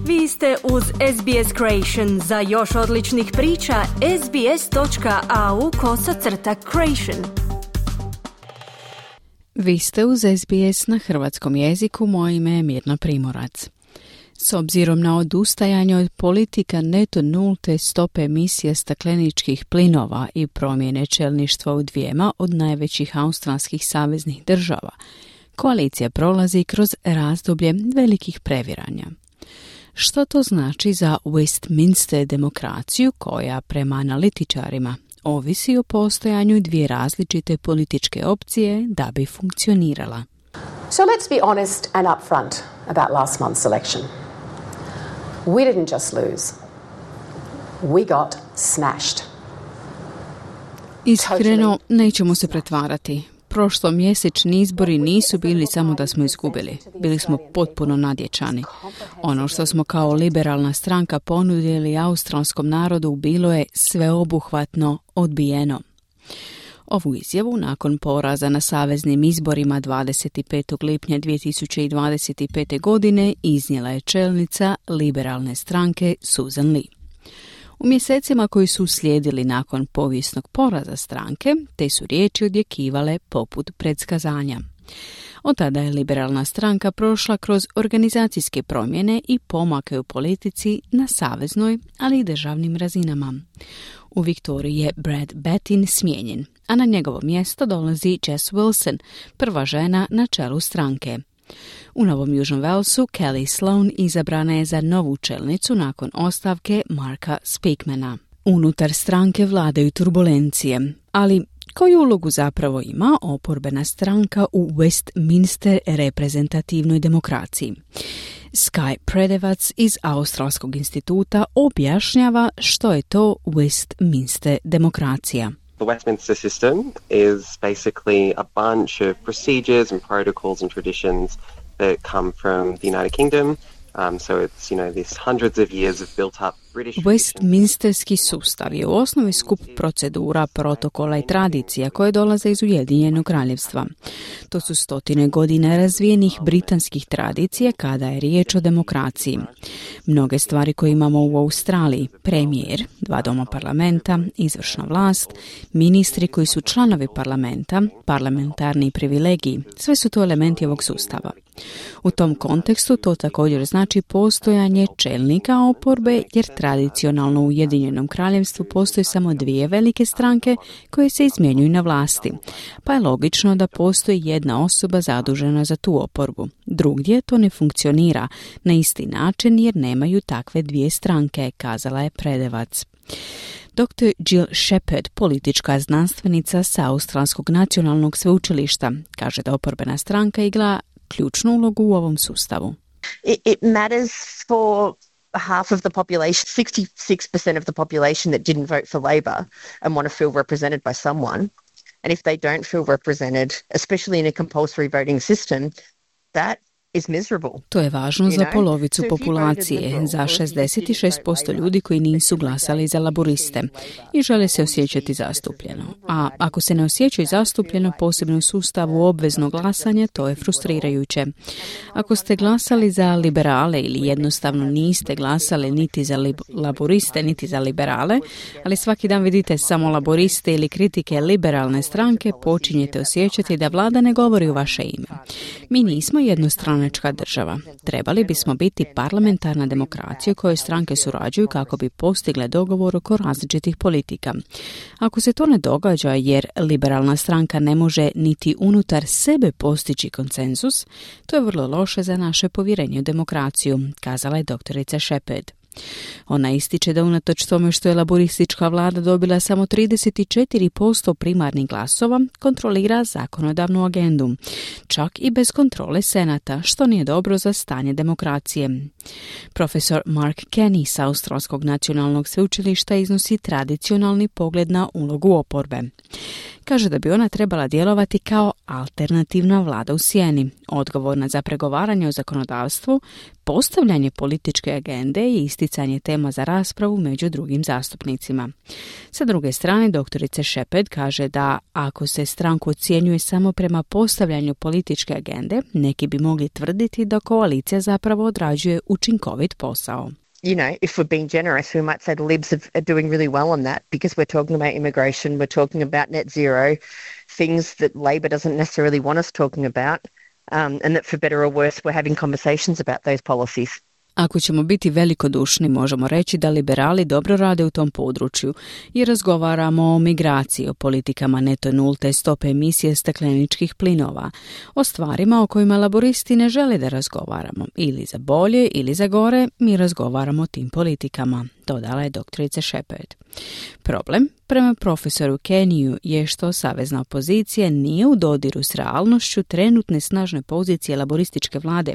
Vi ste uz SBS Creation. Za još odličnih priča, sbs.au/creation. Vi ste uz SBS na hrvatskom jeziku, moje ime je Mirna Primorac. S obzirom na odustajanje od politika neto nulte stope emisije stakleničkih plinova i promjene čelništva u dvijema od najvećih australskih saveznih država, koalicija prolazi kroz razdoblje velikih previranja. Što to znači za Westminster demokraciju koja, prema analitičarima, ovisi o postojanju dvije različite političke opcije da bi funkcionirala? So let's be honest and upfront about last month's election. We didn't just lose. We got smashed. Iskreno, nećemo se pretvarati. Prošlomjesečni izbori nisu bili samo da smo izgubili. Bili smo potpuno nadječani. Ono što smo kao liberalna stranka ponudili australskom narodu bilo je sveobuhvatno odbijeno. Ovu izjavu nakon poraza na saveznim izborima 25. lipnja 2025. godine iznijela je čelnica liberalne stranke Susan Lee. U mjesecima koji su uslijedili nakon povijesnog poraza stranke, te su riječi odjekivale poput predskazanja. Od tada je liberalna stranka prošla kroz organizacijske promjene i pomake u politici na saveznoj, ali i državnim razinama. U Viktoriji je Brad Bettin smijenjen, a na njegovo mjesto dolazi Jess Wilson, prva žena na čelu stranke. U Novom Južnom Walesu Kelly Sloan izabrana je za novu čelnicu nakon ostavke Marka Speakmana. Unutar stranke vladaju turbulencije, ali koju ulogu zapravo ima oporbena stranka u Westminster reprezentativnoj demokraciji? Sky Predevac iz Australskog instituta objašnjava što je to Westminster demokracija. The Westminster system is basically a bunch of procedures and protocols and traditions that come from the United Kingdom. So it's, this hundreds of years of built up British... Westminsterski sustav je u osnovi skup procedura, protokola i tradicija koje dolaze iz Ujedinjenog kraljevstva. To su stotine godina razvijenih britanskih tradicija kada je riječ o demokraciji. Mnoge stvari koje imamo u Australiji, premijer, 2 doma parlamenta, izvršna vlast, ministri koji su članovi parlamenta, parlamentarni privilegiji, sve su to elementi ovog sustava. U tom kontekstu to također znači postojanje čelnika oporbe, jer tradicionalno u Ujedinjenom kraljevstvu postoje samo 2 velike stranke koje se izmjenjuju na vlasti, pa je logično da postoji jedna osoba zadužena za tu oporbu. Drugdje to ne funkcionira na isti način jer nemaju takve 2 stranke, kazala je Predevac. Dr. Jill Shepherd, politička znanstvenica sa Australskog nacionalnog sveučilišta, kaže da oporbena stranka igra ključnu ulogu u ovom sustavu. It matters for half of the population, 66% of the population that didn't vote for Labor and want to feel represented by someone. And if they don't feel represented, especially in a compulsory voting system, that is miserable. To je važno za polovicu populacije, za 66% ljudi koji nisu glasali za laboriste i žele se osjećati zastupljeno. A ako se ne osjećaju zastupljeno, posebno u sustavu obveznog glasanja, to je frustrirajuće. Ako ste glasali za liberale ili jednostavno niste glasali niti za laboriste, niti za liberale, ali svaki dan vidite samo laboriste ili kritike liberalne stranke, počinjete osjećati da vlada ne govori u vaše ime. Mi nismo jednostranačka država. Trebali bismo biti parlamentarna demokracija u kojoj stranke surađuju kako bi postigle dogovor oko različitih politika. Ako se to ne događa jer liberalna stranka ne može niti unutar sebe postići konsenzus, to je vrlo loše za naše povjerenje u demokraciju, kazala je doktorica Shepherd. Ona ističe da unatoč tome što je laboristička vlada dobila samo 34% primarnih glasova, kontrolira zakonodavnu agendu, čak i bez kontrole senata, što nije dobro za stanje demokracije. Profesor Mark Kenny sa Australskog nacionalnog sveučilišta iznosi tradicionalni pogled na ulogu oporbe. Kaže da bi ona trebala djelovati kao alternativna vlada u sjeni, odgovorna za pregovaranje o zakonodavstvu, postavljanje političke agende i isticanje tema za raspravu među drugim zastupnicima. Sa druge strane, doktorica Shepherd kaže da ako se stranku ocjenjuje samo prema postavljanju političke agende, neki bi mogli tvrditi da koalicija zapravo odrađuje učinkovit posao. You know, if we're being generous, we might say the Libs are doing really well on that because we're talking about immigration, we're talking about net zero, things that Labor doesn't necessarily want us talking about, and that for better or worse, we're having conversations about those policies. Ako ćemo biti velikodušni, možemo reći da liberali dobro rade u tom području i razgovaramo o migraciji, o politikama neto nulte stope emisije stakleničkih plinova, o stvarima o kojima laboristi ne žele da razgovaramo. Ili za bolje ili za gore, mi razgovaramo o tim politikama, dodala je doktorica Shepherd. Problem, prema profesoru Keniju, je što savezna opozicija nije u dodiru s realnošću trenutne snažne pozicije laborističke vlade.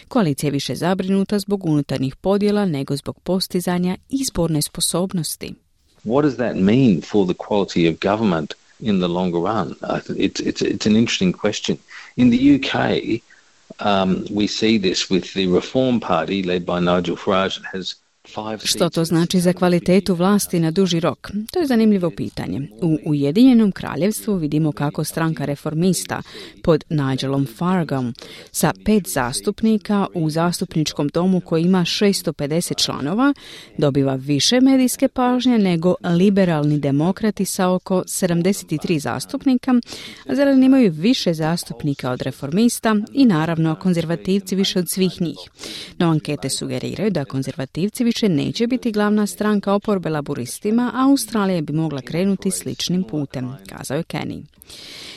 Koalicija je više zabrinuta zbog unutarnjih podjela nego zbog postizanja izborne sposobnosti. What does that mean for the quality of government in the longer run? It's an interesting question. In the UK, we see this with the Reform Party led by Nigel Farage that has Što to znači za kvalitetu vlasti na duži rok? To je zanimljivo pitanje. U Ujedinjenom kraljevstvu vidimo kako stranka reformista pod Nigelom Faragom sa 5 zastupnika u zastupničkom domu koji ima 650 članova dobiva više medijske pažnje nego liberalni demokrati sa oko 73 zastupnika, a zeleni imaju više zastupnika od reformista i naravno konzervativci više od svih njih. No ankete sugeriraju da konzervativci više neće biti glavna stranka oporbe laboristima, a Australija bi mogla krenuti sličnim putem, kazao je Kenny.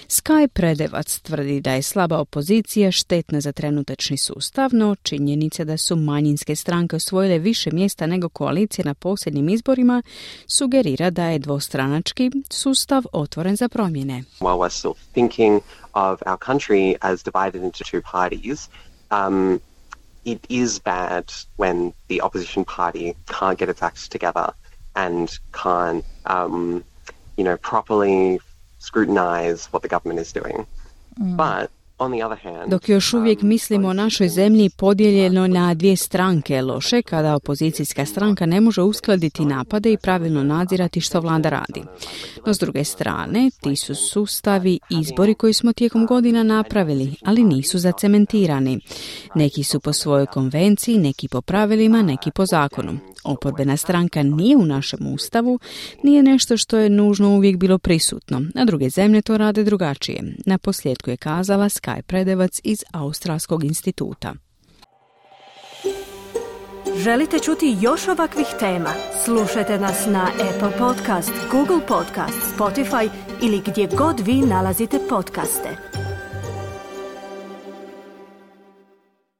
Sky Predevac tvrdi da je slaba opozicija štetna za trenutačni sustav, no činjenica da su manjinske stranke osvojile više mjesta nego koalicije na posljednjim izborima sugerira da je dvostranački sustav otvoren za promjene. While we're still thinking of our country as divided into two parties, it is bad when the opposition party can't get its act together and can't, properly scrutinize what the government is doing. But on the other hand, dok još uvijek mislimo o našoj zemlji podijeljeno na dvije stranke, loše kada opozicijska stranka ne može uskladiti napade i pravilno nadzirati što vlada radi. No s druge strane, ti su sustavi izbori koji smo tijekom godina napravili, ali nisu zacementirani. Neki su po svojoj konvenciji, neki po pravilima, neki po zakonu. Oporbena stranka nije u našem ustavu, nije nešto što je nužno uvijek bilo prisutno, a druge zemlje to rade drugačije. Na posljedku je kazala Sky Predevac iz Australskog instituta. Želite čuti još ovakvih tema? Slušajte nas na Apple Podcast, Google Podcast, Spotify ili gdje god vi nalazite podcaste.